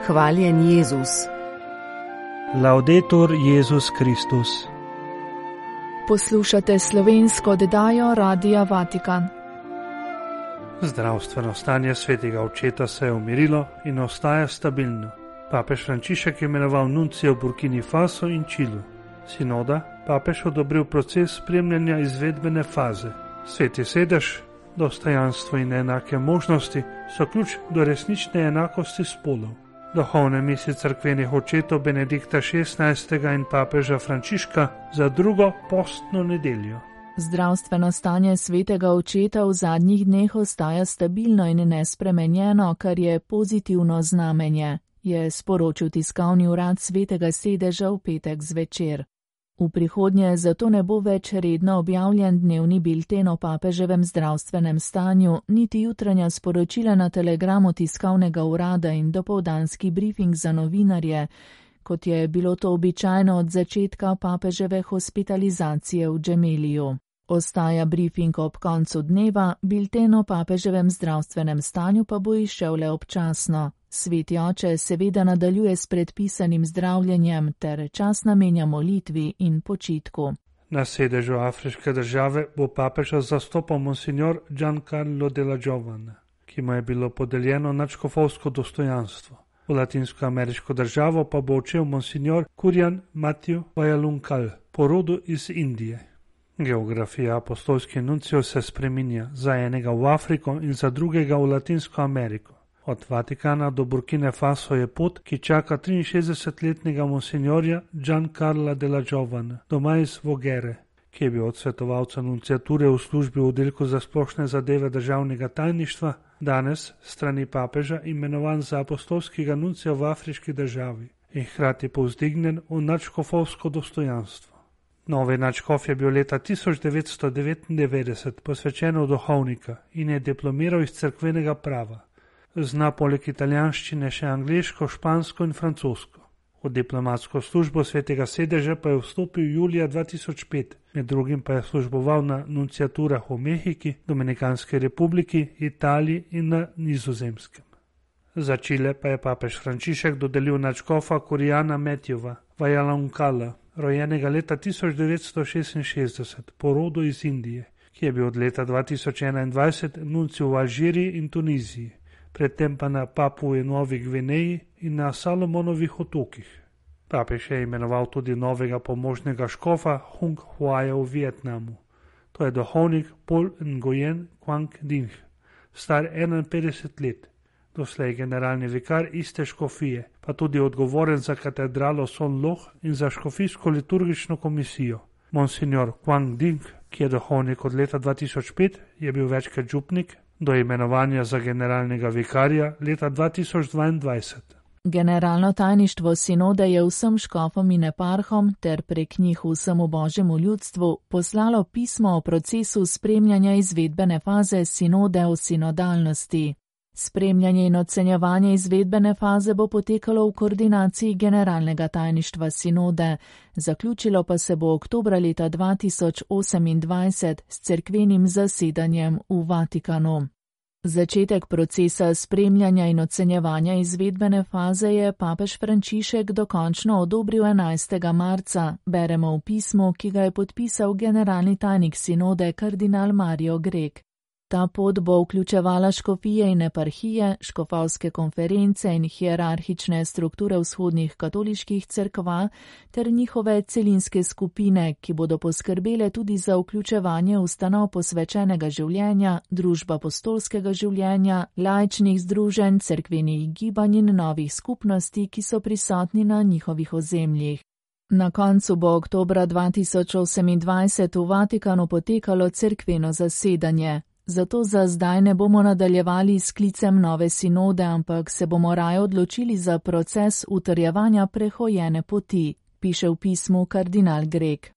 Hvaljen Jezus. Laudetur Jezus Kristus. Poslušate slovensko oddajo Radia Vatikan. Zdravstveno stanje svetega očeta se je umirilo in ostaja stabilno. Papež Frančišek je imenoval nuncija v Burkini Faso in Čilu. Sinoda papež odobril proces spremljanja izvedbene faze. Sveti sedež, dostojanstvo in enake možnosti so ključ do resnične enakosti spolov. Duhovne misli cerkvenih očetov Benedikta XVI. In papeža Frančiška za drugo postno nedeljo. Zdravstveno stanje svetega očeta v zadnjih dneh ostaja stabilno in nespremenjeno, kar je pozitivno znamenje, je sporočil tiskovni urad svetega sedeža v petek zvečer. V prihodnje zato ne bo več redno objavljen dnevni bilten o papeževem zdravstvenem stanju, niti jutranja sporočila na telegramu tiskovnega urada in dopoldanski brifing za novinarje, kot je bilo to običajno od začetka papeževe hospitalizacije v Džemeliju. Ostaja brifing ob koncu dneva, bilten o papeževem zdravstvenem stanju pa bo izšel le občasno. Sveti oče seveda nadaljuje s predpisanim zdravljenjem ter čas namenja molitvi in počitku. Na sedežu afriške države bo papeža zastopal monsignor Giancarlo della Giovana, ki mu je bilo podeljeno nadškofovsko dostojanstvo. V latinsko-ameriško državo pa bo odšel monsignor Kurjan Matiju Vajalunkal, po rodu iz Indije. Geografija apostolskih nuncijev se spreminja, za enega v Afriko in za drugega v Latinsko Ameriko. Od Vatikana do Burkine Faso je pot, ki čaka 63-letnega monsignorja Giancarla della Giovana, doma iz Vogere, ki je bil od svetovalca nunciature v službi v oddelku za splošne zadeve državnega tajništva, danes strani papeža imenovan za apostolskega nuncija v afriški državi in hkrati povzdignen v nadškofovsko dostojanstvo. Novi nadškof je bil leta 1999 posvečen v duhovnika in je diplomiral iz cerkvenega prava. Zna poleg italijanščine še angleško, špansko in francosko. V diplomatsko službo svetega sedeža pa je vstopil julija 2005, med drugim pa je služboval na nunciaturah v Mehiki, Dominikanski republiki, Italiji in na Nizozemskem. Za Čile pa je papež Frančišek dodelil nadškofa Kurjana Matija Vajalunkala, rojenega leta 1966, po rodu iz Indije, ki je bil od leta 2021 nuncij v Alžiriji in Tuniziji, predtem pa na Papui Novi Gvineji in na Salomonovih otokih. Papež je imenoval tudi novega pomožnega škofa Hung Huaja v Vietnamu. To je duhovnik Paul Nguyen Quang Dinh, star 51 let, doslej generalni vikar iste škofije, pa tudi odgovoren za katedralo Son Loh in za škofijsko liturgično komisijo. Monsignor Quang Dinh, ki je duhovnik od leta 2005, je bil večkrat župnik, do imenovanja za generalnega vikarja leta 2022. Generalno tajništvo sinode je vsem škofom in eparhom ter prek njih vsemu božjemu ljudstvu poslalo pismo o procesu spremljanja izvedbene faze sinode o sinodalnosti. Spremljanje in ocenjevanje izvedbene faze bo potekalo v koordinaciji generalnega tajništva sinode, zaključilo pa se bo oktobra leta 2028 s cerkvenim zasedanjem v Vatikanu. Začetek procesa spremljanja in ocenjevanja izvedbene faze je papež Frančišek dokončno odobril 11. marca, beremo v pismu, ki ga je podpisal generalni tajnik sinode kardinal Mario Grek. Ta pot bo vključevala škofije in eparhije, škofovske konference in hierarhične strukture vzhodnih katoliških cerkva ter njihove celinske skupine, ki bodo poskrbele tudi za vključevanje ustanov posvečenega življenja, družb apostolskega življenja, laičnih združenj, cerkvenih gibanj in novih skupnosti, ki so prisotni na njihovih ozemljih. Na koncu bo oktobra 2028 v Vatikanu potekalo cerkveno zasedanje. Zato za zdaj ne bomo nadaljevali s sklicem nove sinode, ampak se bomo raje odločili za proces utrjevanja prehojene poti, piše v pismu kardinal Grek.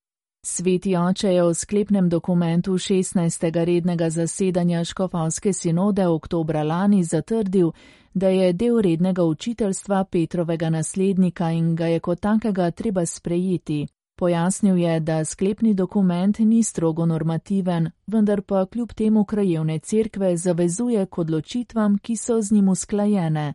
Sveti oče je v sklepnem dokumentu 16. rednega zasedanja škofovske sinode oktobra lani zatrdil, da je del rednega učiteljstva Petrovega naslednika in ga je kot takega treba sprejeti. Pojasnil je, da sklepni dokument ni strogo normativen, vendar pa kljub temu krajevne cerkve zavezuje k odločitvam, ki so z njim usklajene,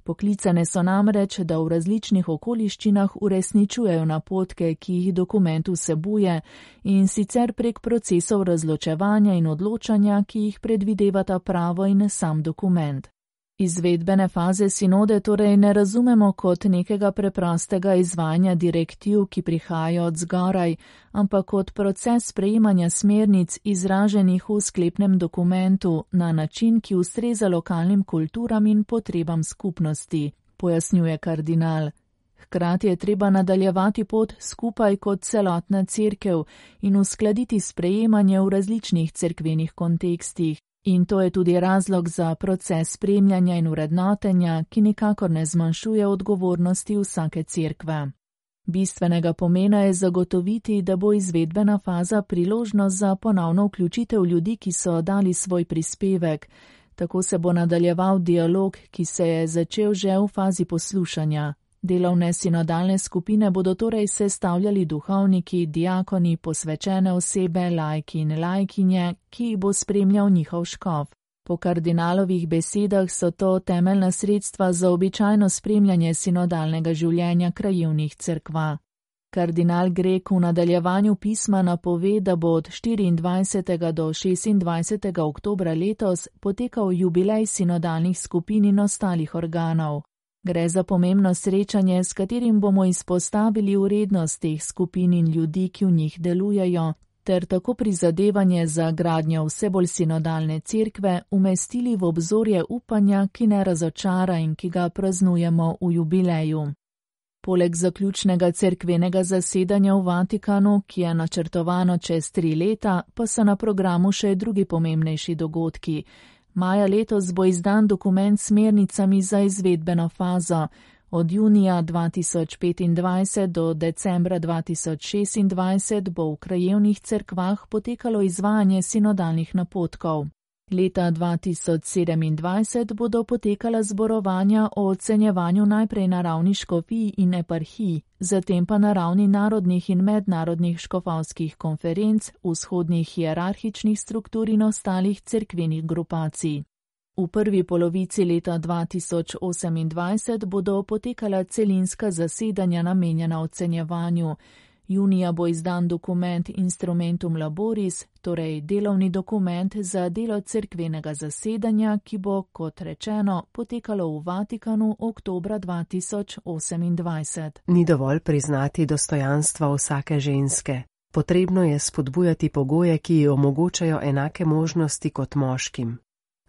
Poklicane so namreč, da v različnih okoliščinah uresničujejo napotke, ki jih dokument vsebuje, in sicer prek procesov razločevanja in odločanja, ki jih predvidevata pravo in sam dokument. Izvedbene faze sinode torej ne razumemo kot nekega preprostega izvajanja direktiv, ki prihajajo od zgoraj, ampak kot proces sprejemanja smernic izraženih v sklepnem dokumentu na način, ki ustreza lokalnim kulturam in potrebam skupnosti, pojasnjuje kardinal. Hkrati je treba nadaljevati pot skupaj kot celotna cerkev in uskladiti sprejemanje v različnih cerkvenih kontekstih. In to je tudi razlog za proces spremljanja in vrednotenja, ki nikakor ne zmanjšuje odgovornosti vsake cerkve. Bistvenega pomena je zagotoviti, da bo izvedbena faza priložnost za ponovno vključitev ljudi, ki so dali svoj prispevek. Tako se bo nadaljeval dialog, ki se je začel že v fazi poslušanja. Delovne sinodalne skupine bodo torej sestavljali duhovniki, diakoni, posvečene osebe, laiki in laikinje, ki jih bo spremljal njihov škof. Po kardinalovih besedah so to temeljna sredstva za običajno spremljanje sinodalnega življenja krajevnih cerkva. Kardinal Grek v nadaljevanju pisma napove, da bo od 24. do 26. oktobra letos potekal jubilej sinodalnih skupin in ostalih organov. Gre za pomembno srečanje, s katerim bomo izpostavili vrednost teh skupin in ljudi, ki v njih delujejo, ter tako prizadevanje za gradnjo vse bolj sinodalne cerkve umestili v obzorje upanja, ki ne razočara in ki ga praznujemo v jubileju. Poleg zaključnega cerkvenega zasedanja v Vatikanu, ki je načrtovano čez 3 leta, pa so na programu še drugi pomembnejši dogodki. Maja letos bo izdan dokument s smernicami za izvedbeno fazo. Od junija 2025 do decembra 2026 bo v krajevnih cerkvah potekalo izvajanje sinodalnih napotkov. Leta 2027 bodo potekala zborovanja o ocenjevanju najprej na ravni škofij in eparhij, zatem pa na ravni narodnih in mednarodnih škofovskih konferenc, vzhodnih hierarhičnih struktur in ostalih cerkvenih grupacij. V prvi polovici leta 2028 bodo potekala celinska zasedanja namenjena ocenjevanju. Junija bo izdan dokument Instrumentum Laboris, torej delovni dokument za delo cerkvenega zasedanja, ki bo, kot rečeno, potekalo v Vatikanu oktobra 2028. Ni dovolj priznati dostojanstva vsake ženske. Potrebno je spodbujati pogoje, ki ji omogočajo enake možnosti kot moškim.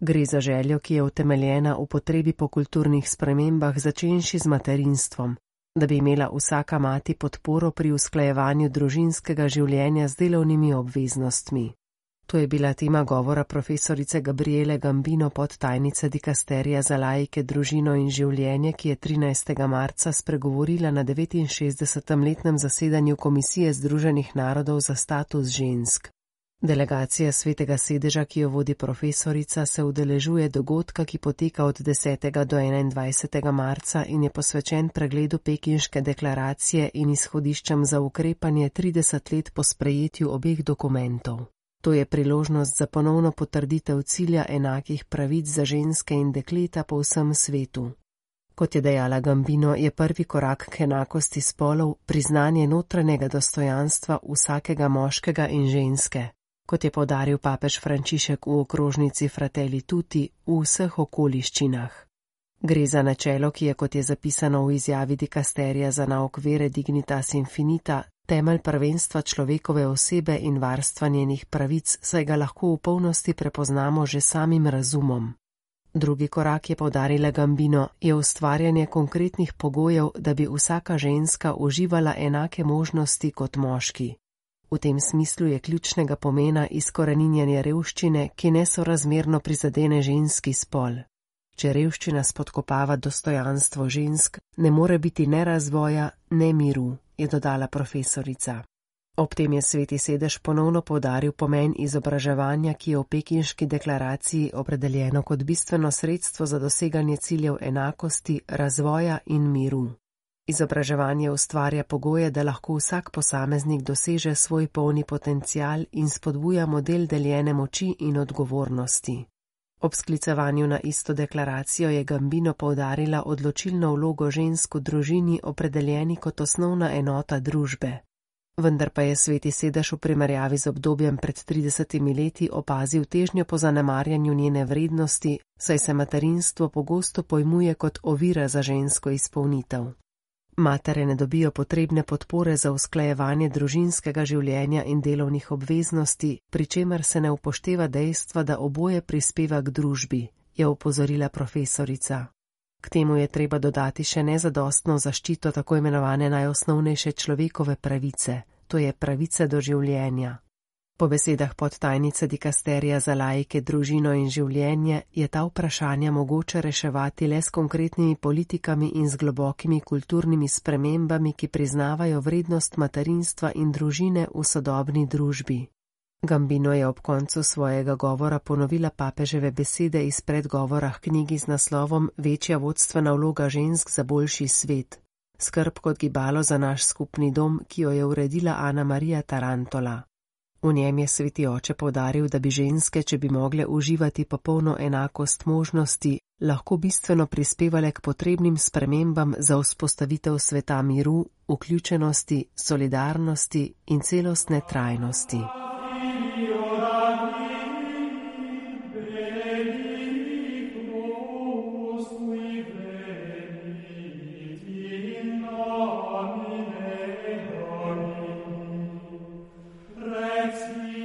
Gre za željo, ki je utemeljena v potrebi po kulturnih spremembah, začenši z materinstvom, da bi imela vsaka mati podporo pri usklajevanju družinskega življenja z delovnimi obveznostmi. To je bila tema govora profesorice Gabriele Gambino, podtajnice dikasterija za laike, družino in življenje, ki je 13. marca spregovorila na 69. letnem zasedanju Komisije Združenih narodov za status žensk. Delegacija Svetega sedeža, ki jo vodi profesorica, se udeležuje dogodka, ki poteka od 10. do 21. marca in je posvečen pregledu Pekinške deklaracije in izhodiščem za ukrepanje 30 let po sprejetju obeh dokumentov. To je priložnost za ponovno potrditev cilja enakih pravic za ženske in dekleta po vsem svetu. Kot je dejala Gambino, je prvi korak k enakosti spolov priznanje notranjega dostojanstva vsakega moškega in ženske, kot je poudaril papež Frančišek v okrožnici Fratelli Tutti, v vseh okoliščinah. Gre za načelo, ki je, kot je zapisano v izjavi dikasterija za nauk vere Dignitas Infinita, temelj prvenstva človekove osebe in varstva njenih pravic, saj ga lahko v polnosti prepoznamo že samim razumom. Drugi korak, je poudarila Gambino, je ustvarjanje konkretnih pogojev, da bi vsaka ženska uživala enake možnosti kot moški. V tem smislu je ključnega pomena izkoreninjanje revščine, ki nesorazmerno prizadene ženski spol. Če revščina spodkopava dostojanstvo žensk, ne more biti ne razvoja, ne miru, je dodala profesorica. Ob tem je Sveti sedež ponovno poudaril pomen izobraževanja, ki je v Pekinški deklaraciji opredeljeno kot bistveno sredstvo za doseganje ciljev enakosti, razvoja in miru. Izobraževanje ustvarja pogoje, da lahko vsak posameznik doseže svoj polni potencial in spodbuja model deljene moči in odgovornosti. Ob sklicevanju na isto deklaracijo je Gambino poudarila odločilno vlogo žensk v družini, opredeljeni kot osnovna enota družbe. Vendar pa je Sveti sedež v primerjavi z obdobjem pred 30 leti opazil težnjo po zanemarjanju njene vrednosti, saj se materinstvo pogosto pojmuje kot ovira za žensko izpolnitev. Matere ne dobijo potrebne podpore za usklajevanje družinskega življenja in delovnih obveznosti, pri čemer se ne upošteva dejstva, da oboje prispeva k družbi, je opozorila profesorica. K temu je treba dodati še nezadostno zaščito tako imenovane najosnovnejše človekove pravice, to je pravice do življenja. Po besedah podtajnice dikasterija za laike, družino in življenje je ta vprašanja mogoče reševati le s konkretnimi politikami in z globokimi kulturnimi spremembami, ki priznavajo vrednost materinstva in družine v sodobni družbi. Gambino je ob koncu svojega govora ponovila papeževe besede iz predgovora k knjigi z naslovom Večja vodstvena vloga žensk za boljši svet. Skrb kot gibalo za naš skupni dom, ki jo je uredila Ana Marija Tarantola. V njem je Sveti oče poudaril, da bi ženske, če bi mogle uživati popolno enakost možnosti, lahko bistveno prispevale k potrebnim spremembam za vzpostavitev sveta miru, vključenosti, solidarnosti in celostne trajnosti.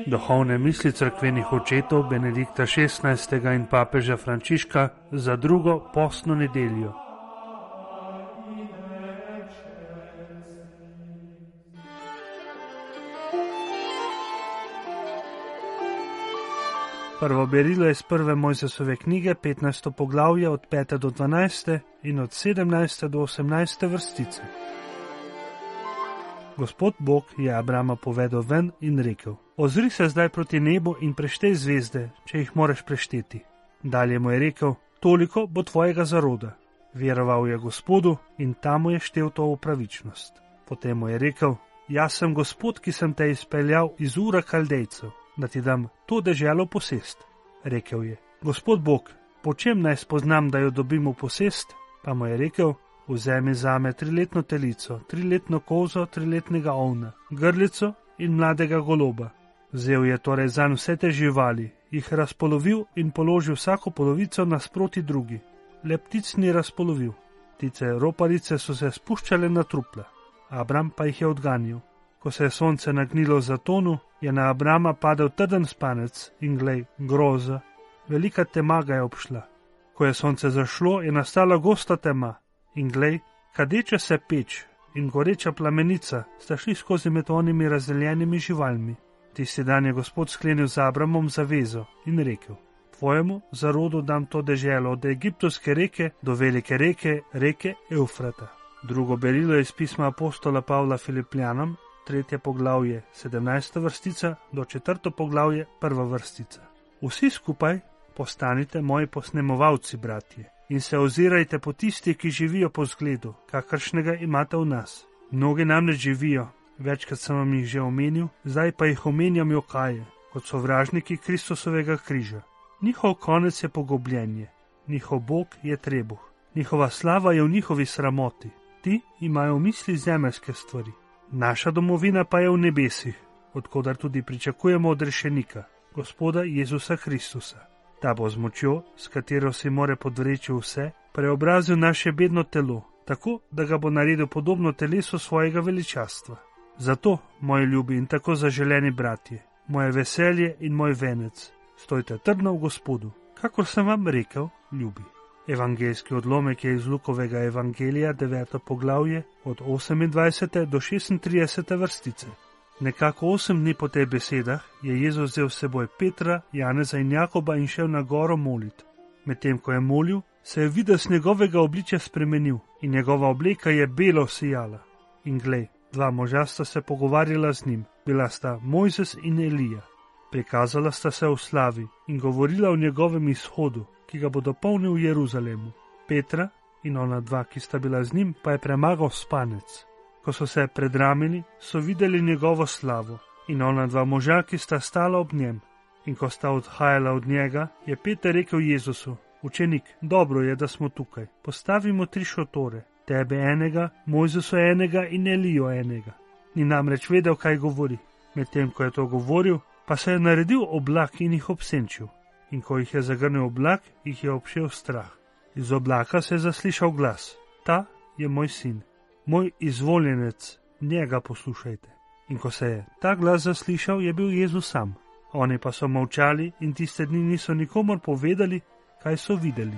Duhovne misli cerkvenih očetov Benedikta XVI. In papeža Frančiška za drugo postno nedeljo. Prvo berilo je iz prve Mojzesove knjige, 15. poglavje od 5. do 12. in od 17. do 18. vrstice. Gospod Bog je Abrama povedal ven in rekel: Ozri se zdaj proti nebu in preštej zvezde, če jih moreš prešteti. Dalje mu je rekel: Toliko bo tvojega zaroda. Veroval je Gospodu in ta mu je štel to v pravičnost. Potem mu je rekel: Jaz sem Gospod, ki sem te izpeljal iz Ura Kaldejcev, da ti dam to deželo posest. Rekel je: Gospod Bog, po čem naj spoznam, da jo dobim v posest? Pa mu je rekel: Vzemi zame 3-letno telico, 3-letno kozo, 3-letnega ovna, grlico in mladega goloba. Vzel je torej zanj vse te živali, jih razpolovil in položil vsako polovico nasproti drugi. Le ptic ni razpolovil. Ptice roparice so se spuščale na trupla. Abram pa jih je odganjal. Ko se je sonce nagnilo za tonu, je na Abrama padel trden spanec in glej, groza, velika tema ga je obšla. Ko je sonce zašlo, je nastala gosta tema. In glej, kadeča se peč in goreča plamenica sta šli skozi med onimi razdeljenimi živalmi. Tisti dan je Gospod sklenil z Abramom zavezo in rekel: Tvojemu zarodu dam to deželo od Egiptovske reke do velike reke, reke Eufrata. Drugo berilo je iz pisma apostola Pavla Filipljanom, 3. poglavje, 17. vrstica do 4. poglavje, 1. vrstica. Vsi skupaj postanite moji posnemovalci, bratje, in se ozirajte po tistih, ki živijo po zgledu, kakršnega imate v nas. Mnogi namreč živijo, večkrat sem vam jih že omenil, zdaj pa jih omenjam jokaje, kot sovražniki Kristusovega križa. Njihov konec je pogobljenje, njihov Bog je trebuh, njihova slava je v njihovi sramoti. Ti imajo v misli zemeljske stvari. Naša domovina pa je v nebesih, odkudar tudi pričakujemo odrešenika, Gospoda Jezusa Kristusa. Ta bo z močjo, s katero si more podvreči vse, preobrazil naše bedno telo, tako, da ga bo naredil podobno telesu svojega veličastva. Zato, moji ljubi in tako zaželeni bratje, moje veselje in moj venec, stojte trdno v Gospodu, kakor sem vam rekel, ljubi. Evangeljski odlomek je iz Lukovega evangelija, 9. poglavje, od 28. do 36. vrstice. Nekako 8 dni po teh besedah je Jezus vzel s seboj Petra, Janeza in Jakoba in šel na goro molit. Medtem ko je molil, se je videz njegovega obličja spremenil in njegova obleka je belo sijala. In glej, 2 moža sta se pogovarjala z njim, bila sta Mojzes in Elija. Prikazala sta se v slavi in govorila o njegovem izhodu, ki ga bo dopolnil v Jeruzalemu. Petra in ona 2, ki sta bila z njim, pa je premagal spanec. Ko so se predramili, so videli njegovo slavo in ona 2 moža, ki sta stala ob njem. In ko sta odhajala od njega, je Peter rekel Jezusu: Učenik, dobro je, da smo tukaj. Postavimo 3 šotore, tebe enega, Mojzesu enega in Elijo enega. Ni namreč vedel, kaj govori. Medtem ko je to govoril, pa se je naredil oblak in jih obsenčil. In ko jih je zagrnil oblak, jih je obšel strah. Iz oblaka se je zaslišal glas: Ta je moj sin, moj izvoljenec, njega poslušajte. In ko se je ta glas zaslišal, je bil Jezus sam. Oni pa so molčali in tiste dni niso nikomor povedali, kaj so videli.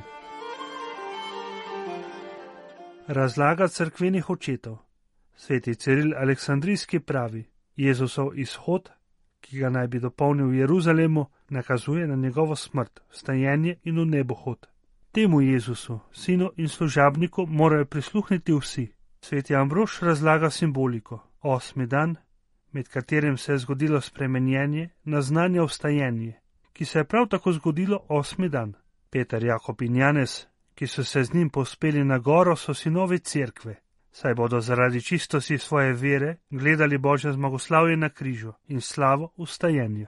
Razlaga cerkvenih očetov. Sveti Ciril Aleksandrijski pravi: Jezusov izhod, ki ga naj bi dopolnil v Jeruzalemu, nakazuje na njegovo smrt, vstajenje in v nebohod. Temu Jezusu, sinu in služabniku, morajo prisluhniti vsi. Sveti Ambrož razlaga simboliko. 8. dan, med katerim se je zgodilo spremenjenje, naznanja vstajenje, ki se je prav tako zgodilo 8. dan. Peter, Jakob in Janez, ki so se z njim povzpeli na goro, so sinovi cerkve, saj bodo zaradi čistosti svoje vere gledali Božje zmagoslavje na križu in slavo vstajenja.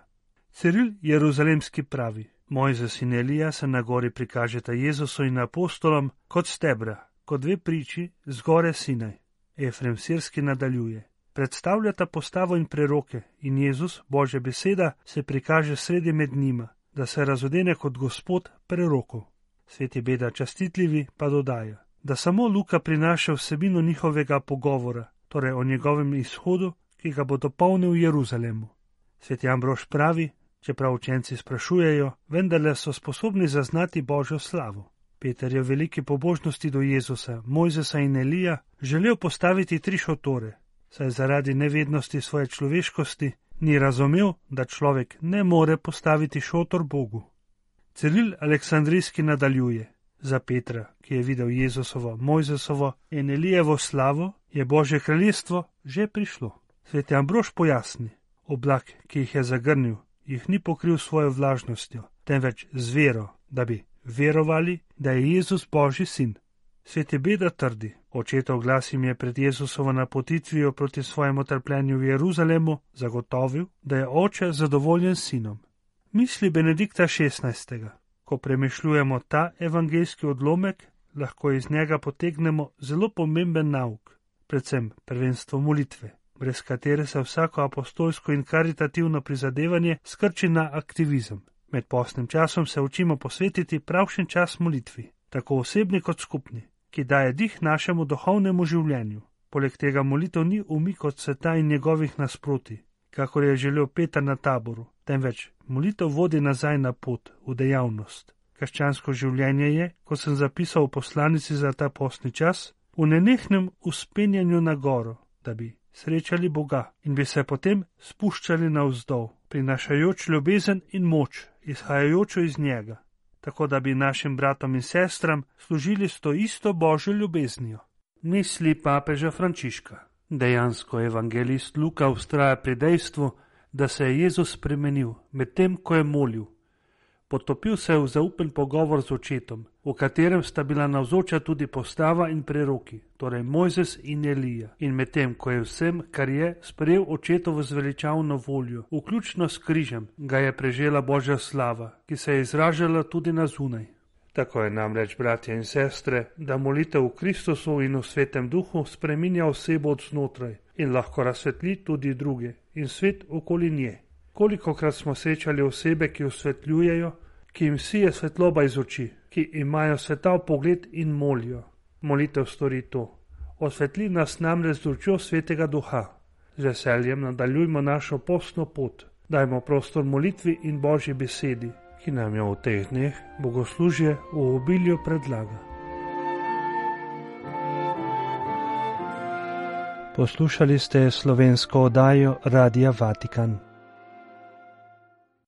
Ciril Jeruzalemski pravi: Mojzes in Elija se na gori prikažeta Jezusu in apostolom kot stebra, kot 2 priči z gore Sinaj. Efrem Sirski nadaljuje: Predstavljata postavo in preroke in Jezus, Božja beseda, se prikaže sredi med njima, da se razodene kot Gospod prerokov. Sveti Beda Častitljivi pa dodaja, da samo Luka prinaša vsebino njihovega pogovora, torej o njegovem izhodu, ki ga bo dopolnil v Jeruzalemu. Sveti Ambrož pravi: Čeprav učenci sprašujejo, vendarle so sposobni zaznati Božjo slavo. Peter je v veliki pobožnosti do Jezusa, Mojzesa in Elija želel postaviti 3 šotore, saj zaradi nevednosti svoje človeškosti ni razumel, da človek ne more postaviti šotor Bogu. Ciril Aleksandrijski nadaljuje: Za Petra, ki je videl Jezusovo, Mojzesovo in Elijevo slavo, je Božje kraljestvo že prišlo. Sveti Ambrož pojasni: Oblak, ki jih je zagrnil, jih ni pokril svojo vlažnostjo, temveč z vero, da bi verovali, da je Jezus Božji sin. Sveti Beda trdi: Očetov glas jim je pred Jezusovo napotitvijo proti svojemu trpljenju v Jeruzalemu zagotovil, da je oče zadovoljen s sinom. Misli Benedikta XVI. Ko premišljujemo ta evangeljski odlomek, lahko iz njega potegnemo zelo pomemben nauk, predvsem prvenstvo molitve, brez katere se vsako apostolsko in karitativno prizadevanje skrči na aktivizem. Med postnim časom se učimo posvetiti pravšen čas molitvi, tako osebni kot skupni, ki daje dih našemu duhovnemu življenju. Poleg tega molitev ni umik od sveta in njegovih nasproti, kakor je želel Peter na Taboru, temveč molitev vodi nazaj na pot, v dejavnost. Krščansko življenje je, kot sem zapisal v poslanici za ta postni čas, v nenehnem vzpenjanju na goro, da bi srečali Boga in bi se potem spuščali navzdol, prinašajoč ljubezen in moč, izhajajočo iz njega, tako da bi našim bratom in sestram služili s to isto Božjo ljubeznijo. Misli papeža Frančiška. Dejansko evangelist Luka vztraja pri dejstvu, da se je Jezus spremenil medtem, ko je molil. Potopil se je v zaupen pogovor z očetom, v katerem sta bila navzoča tudi postava in preroki, torej Mojzes in Elija. In medtem, ko je vsem, kar je, sprejel očetovo zveličavno voljo, vključno s križem, ga je prežela Božja slava, ki se je izražala tudi na zunaj. Tako je namreč, bratje in sestre, da molitev v Kristusu in v Svetem Duhu spreminja osebo od znotraj in lahko razsvetli tudi druge in svet okoli nje. Kolikokrat smo srečali osebe, ki osvetljujejo, ki jim sije svetloba iz oči, ki imajo svetav pogled in molijo. Molitev stori to. Osvetli nas namreč z lučjo Svetega Duha. Z veseljem nadaljujmo našo postno pot. Dajmo prostor molitvi in Božji besedi, ki nam jo v teh dneh bogoslužje v obilju predlaga. Poslušali ste slovensko oddajo Radia Vatikan.